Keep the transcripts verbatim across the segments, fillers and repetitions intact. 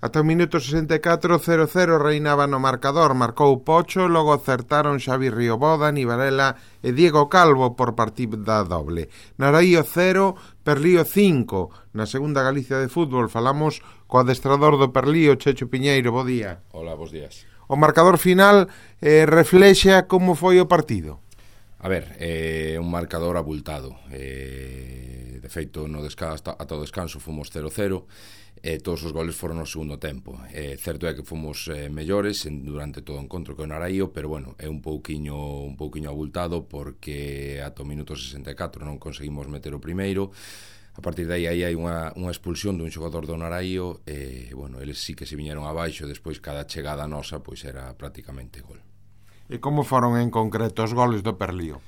Ata o minuto sesenta e catro, cero cero reinaba no marcador, marcou Pocho, logo acertaron Xavi Riobó, Dani Varela e Diego Calvo por partida doble. Naraío cero, Perlío cinco. Na segunda Galicia de fútbol falamos co adestrador do Perlío, Checho Piñeiro, bo día. Hola, bos días. O marcador final eh, reflexa como foi o partido. A ver, é eh, un marcador abultado. Eh, de feito, no descanso, ata o descanso fomos cero cero. E todos os goles foron no segundo tempo. É certo é que fomos eh, mellores en, durante todo o encontro que o Naraío, pero bueno, é un pouquiño un pouquiño abultado porque ata o minuto sesenta e catro non conseguimos meter o primeiro. A partir de aí, aí hai unha, unha expulsión dun xogador do Naraío e, bueno, eles sí que se viñeron abaixo, despois cada chegada nosa pois era prácticamente gol. E como foron en concreto os goles do Perlío?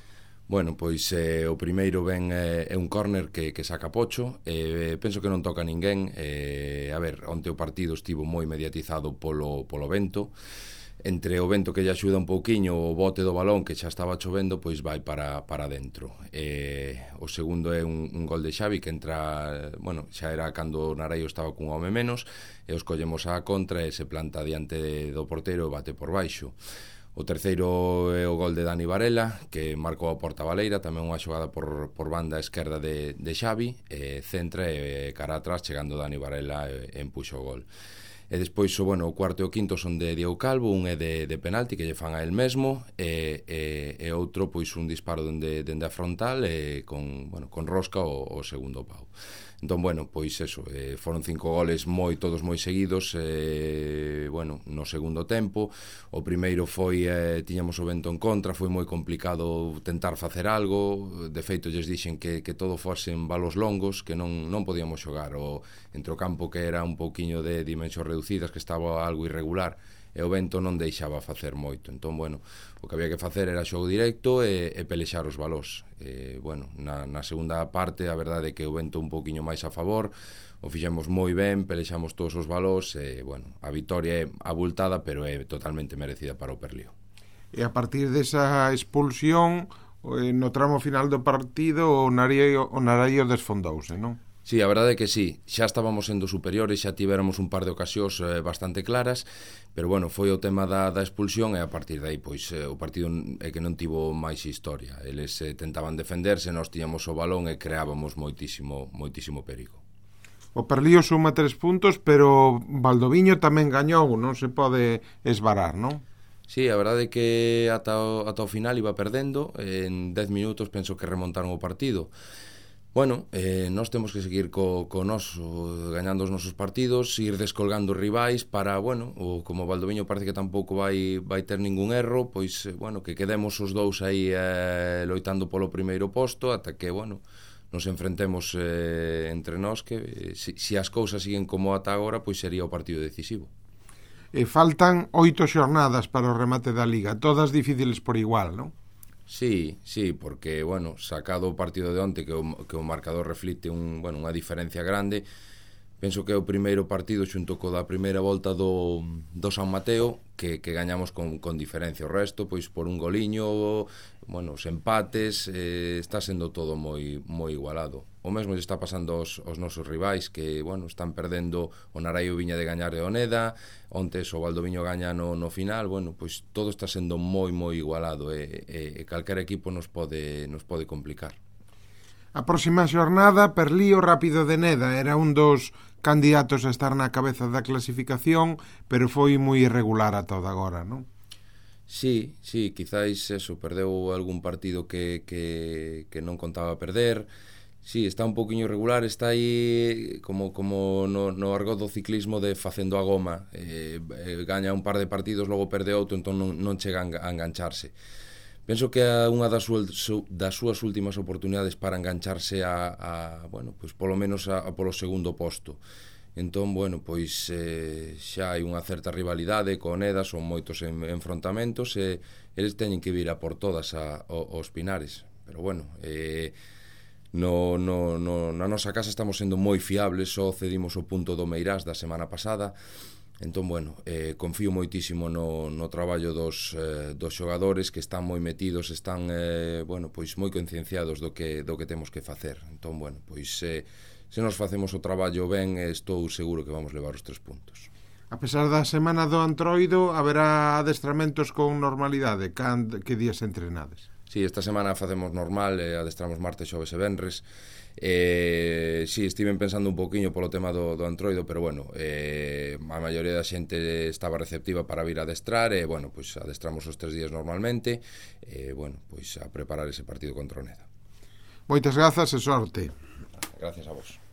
Bueno, pois eh, o primeiro ben eh, é un córner que, que saca Pocho, eh, penso que non toca ninguén. Eh, a ver, onte o partido estivo moi mediatizado polo, polo vento. Entre o vento que lle axuda un pouquiño, o bote do balón que xa estaba chovendo, pois vai para, para dentro. Eh, o segundo é un, un gol de Xavi que entra, bueno, xa era cando o Naraío estaba cun home menos, e os collemos á contra e se planta diante do porteiro e bate por baixo. O terceiro é o gol de Dani Varela, que marcou a porta baleira, tamén unha xogada por, por banda esquerda de, de Xavi, e centra e cara atrás, chegando Dani Varela e, e empuxa o gol. E despois, o, bueno, o cuarto e o quinto son de Diego Calvo, un é de, de penalti, que lle fan a el mesmo, e, e, e outro, pois, un disparo dende, dende a frontal, e con, bueno, con rosca o, o segundo pau. Entón, bueno, pois eso, eh, foron cinco goles moi, todos moi seguidos, eh, bueno, no segundo tempo. O primeiro foi, eh, tiñamos o vento en contra, foi moi complicado tentar facer algo. De feito, lles dixen que, que todo fosen balos longos, que non, non podíamos xogar o, entre o campo que era un pouquiño de dimensións reducidas, que estaba algo irregular, e o vento non deixaba facer moito. Entón, bueno, o que había que facer era xogo directo e, e pelexar os balós. E, bueno, na, na segunda parte, a verdade é que o vento un pouquiño máis a favor, o fixemos moi ben, pelexamos todos os balós, e, bueno, a vitoria é abultada, pero é totalmente merecida para o Perlío. E a partir desa expulsión, no tramo final do partido, o Naraío, o Naraío desfondouse, non? Sí, a verdade é que sí, xa estábamos sendo superiores, xa tivéramos un par de ocasións eh, bastante claras, pero bueno, foi o tema da, da expulsión e a partir de aí, pois, eh, o partido é que non tivo máis historia. Eles eh, tentaban defenderse, nós tiñamos o balón e creábamos moitísimo, moitísimo perigo. O Perlío suma tres puntos, pero Valdoviño tamén gañou, non se pode esvarar, non? Sí, a verdade é que ata o, ata o final iba perdendo, en dez minutos penso que remontaron o partido. Bueno, eh, nós temos que seguir co, co noso, gañando os nosos partidos, ir descolgando rivais para, bueno, o, como o Valdoviño parece que tampouco vai, vai ter ningún erro, pois, eh, bueno, que quedemos os dous aí eh, loitando polo primeiro posto, ata que, bueno, nos enfrentemos eh, entre nós, que eh, si, si as cousas siguen como ata agora, pois sería o partido decisivo. E faltan oito xornadas para o remate da Liga, todas difíciles por igual, non? Sí, sí, porque, bueno, sacado o partido de onte que o, que o marcador reflite un, bueno, unha diferencia grande, penso que é o primeiro partido xunto co da primeira volta do, do San Mateo que, que gañamos con, con diferencia. O resto, pois por un goliño, bueno, os empates, eh, está sendo todo moi moi igualado. O mesmo lle está pasando aos, aos nosos rivais que, bueno, están perdendo. O Naraío viña de gañar de Oneda, onte o Valdoviño gaña no, no final. Bueno, pois todo está sendo moi moi igualado e, e, e calquer equipo nos pode, nos pode complicar. A próxima xornada, Perlío Rápido de Neda era un dos candidatos a estar na cabeza da clasificación, pero foi moi irregular a toda agora, non? Sí, sí, quizáis eso, perdeu algún partido que, que, que non contaba perder. Sí, está un pouquiño irregular, está aí como, como no, no argot do ciclismo de facendo a goma, eh, eh, gaña un par de partidos, logo perde outro, entón non, non chega a engancharse. Penso que é unha das súas, das súas últimas oportunidades para engancharse a, a bueno, pois polo menos a, a polo segundo posto. Entón, bueno, pois eh, xa hai unha certa rivalidade con Oneda, son moitos en, enfrontamentos e eles teñen que vir a por todas a, a, aos Pinares. Pero bueno, eh, no, no, no, na nosa casa estamos sendo moi fiables, só cedimos o punto do Meirás da semana pasada. Entón, bueno, eh, confío moitísimo no, no traballo dos, eh, dos xogadores que están moi metidos, están, eh, bueno, pois moi concienciados do que, do que temos que facer. Entón, bueno, pois eh, se nos facemos o traballo ben, estou seguro que vamos levar os tres puntos. A pesar da semana do Antroido, haberá adestramentos con normalidade? Can, que días entrenades? Sí, esta semana facemos normal, eh, adestramos martes, xoves e venres. Eh, sí, estiven pensando un poquinho polo tema do, do Antroido, pero bueno, eh, a maioría da xente estaba receptiva para vir a adestrar, e bueno, pois adestramos os tres días normalmente, e bueno, pois a preparar ese partido contra o Neda. Moitas grazas e sorte. Gracias a vos.